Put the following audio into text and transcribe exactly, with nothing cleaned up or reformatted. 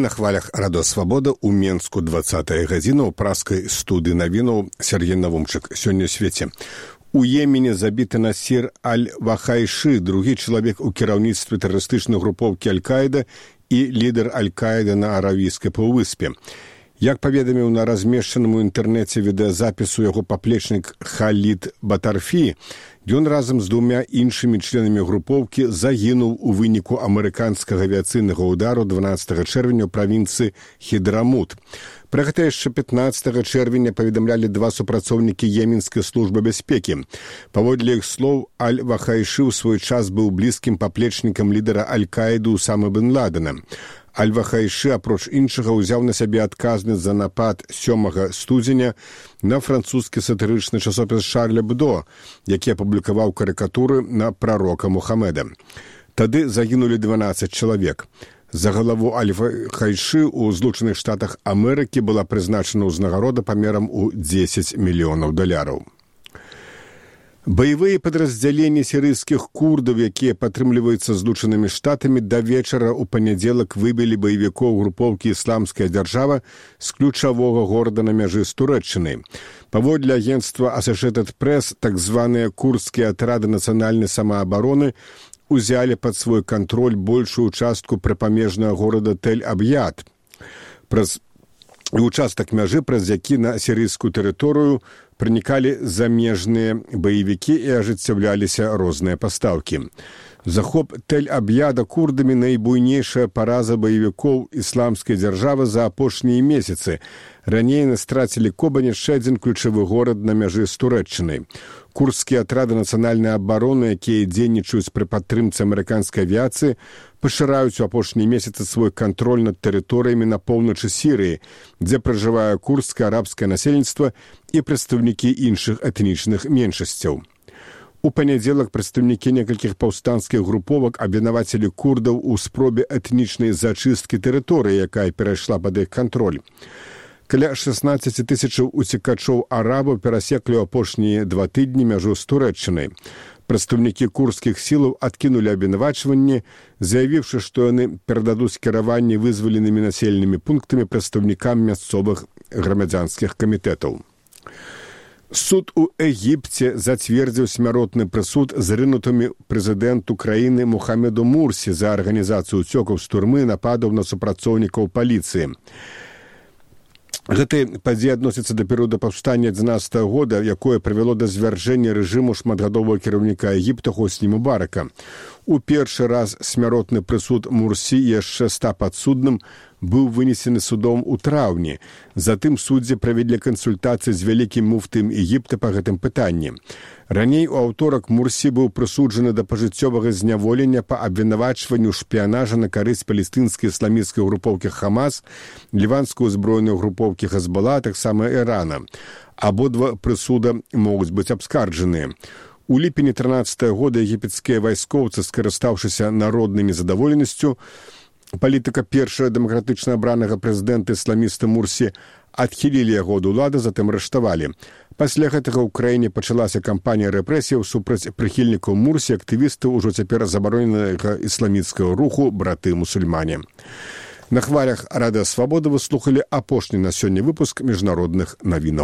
На хвалях Радо Свабода ў Менску дваццатая гадзіна ў праскай студыі навінаў Сергей Навумчык. Сёння ў свеце. У Йемене забіты Насір Аль-Вахайшы, другі чалавек у кіраўніцтве тэрарыстычнай групоўкі Аль-Каіда і лідар Аль-Каіда на Аравійскай паўвыспе. Як паведаміў на размешчаным у інтэрнэце відэазапісу яго паплечнік Халід Батарфі, ён разам з двумя іншымі членамі групоўкі загінуў у выніку амерыканскага авіяцыйнага ўдару дванаццатага чэрвеня ў правінцыі Хідрамут. Пра гэта яшчэ пятнаццатага чэрвеня паведамлялі два супрацоўнікі Йеменскай службы бяспекі. Паводле іх слоў, Аль-Вахайшы ў свой час быў блізкім паплечнікам лідара Аль-Каіду Усамы бен Ладена. Аль-Вахайшы, апроч іншага, узяў на сябе адказнасць за напад сёмага студзеня на французскі сатырычны часопіс Шарль Эбдо, які апублікаваў карыкатуры на прарока Мухаммеда. Тады загінулі дванаццаць чалавек. За галаву Аль-Вахайшы ў Злучаных Штатах Амерыкі была прызначана ўзнагарода памерам у дзесяць мільёнаў даляраў. Баявыя падраздзяленні сірыйскіх курдаў, якія падтрымліваюцца Злучанымі Штатамі, да вечара ў панядзелак выбілі баевікоў групоўкі «Ісламская дзяржава» з ключавога горада на мяжы з Турэччынай. Паводле агенцтва Associated Press, так званыя курдскія атрады нацыянальнай самаабароны узялі пад свой кантроль большую частку прыпамежнага горада Тель-Аб'яд. Праз участак мяжы, праз які на сірыйскую тэрыторыю пранікалі замежныя баевікі і ажыццяўляліся розныя пастаўкі. Захоп Тель-Аб'яда курдамі найбуйнейшая параза баевікоў ісламскай дзяржавы за апошнія месяцы. Раней яны страцілі Кобань, яшчэ адзін ключавы горад на мяжы з Турэччынай. Курдскія атрады нацыянальнай абароны, якія дзейнічаюць пры падтрымцы амерыканскай авіяцыі, пашыраюць у апошнія месяцы свой кантроль над тэрыторыямі на поўначы Сірыі, дзе пражывае курдскае арабскае насельніцтва і прадстаўнікі іншых этнічных меншасцяў. У панядзелак прадстаўнікі некалькіх паўстанцкіх груповак абвінавацілі курдаў у спробе этнічнай зачысткі тэрыторыі, якая перайшла пад іх кантроль. Каля шаснаццаць тысячаў уцекачоў арабаў перасеклі ў апошнія два тыдні мяжу з Турэччынай. Прадстаўнікі курдскіх сілаў адкінулі абвінавачванні, заявіўшы, што яны перададуць кіраванне вызваленымі населенымі пунктамі прадстаўнікам мясцовых грамадзянскіх камітэтаў. Суд у Егіпце зацвердзіў смяротны прысуд зрынутымі прэзідэнту краіны Мухаммеду Мурсі за арганізацыю ўцёкаў з турмы, нападаў на супрацоўнікаў паліцыі. Гэтая падзея адносіцца да перыяду паўстання адзінаццатага года, якое прывяло да звяржэння рэжыму шматгадовага кіраўніка Егіпта Хосні Мубарака. У першы раз смяротны прысуд Мурсі, яшчэ ста падсудным, быў вынесены судом у траўні. Затым суддзі правялі кансультацыі з вялікім муфтым Егіпта па гэтым пытанні. Раней у аўторак Мурсі быў прысуджаны да пажыццёвага зняволення па абвінавачванню шпіянажа на карысць палестынскай ісламісцкай групоўкі Хамас, ліванскай узброенай групоўкі Хезбола, таксама Ірана. Абодва прысуда могуць быць абскарджаныя. У ліпені трынаццатага года егіпецкія вайскоўцы, скарыстаўшыся народнай незадаволенасцю, палітыка першага дэмакратычна абранага прэзідэнта ісламіста Мурсі адхілілі яго ад улады, затым арыштавалі. Пасля гэтага ў краіне пачалася кампанія рэпрэсіяў супраць прыхільнікаў Мурсі, актывістаў ужо цяпер забароненага ісламіцкага руху браты-мусульмане. На хвалях Радыё Свабода вы слухалі апошні на сёння выпуск міжнародных навінаў.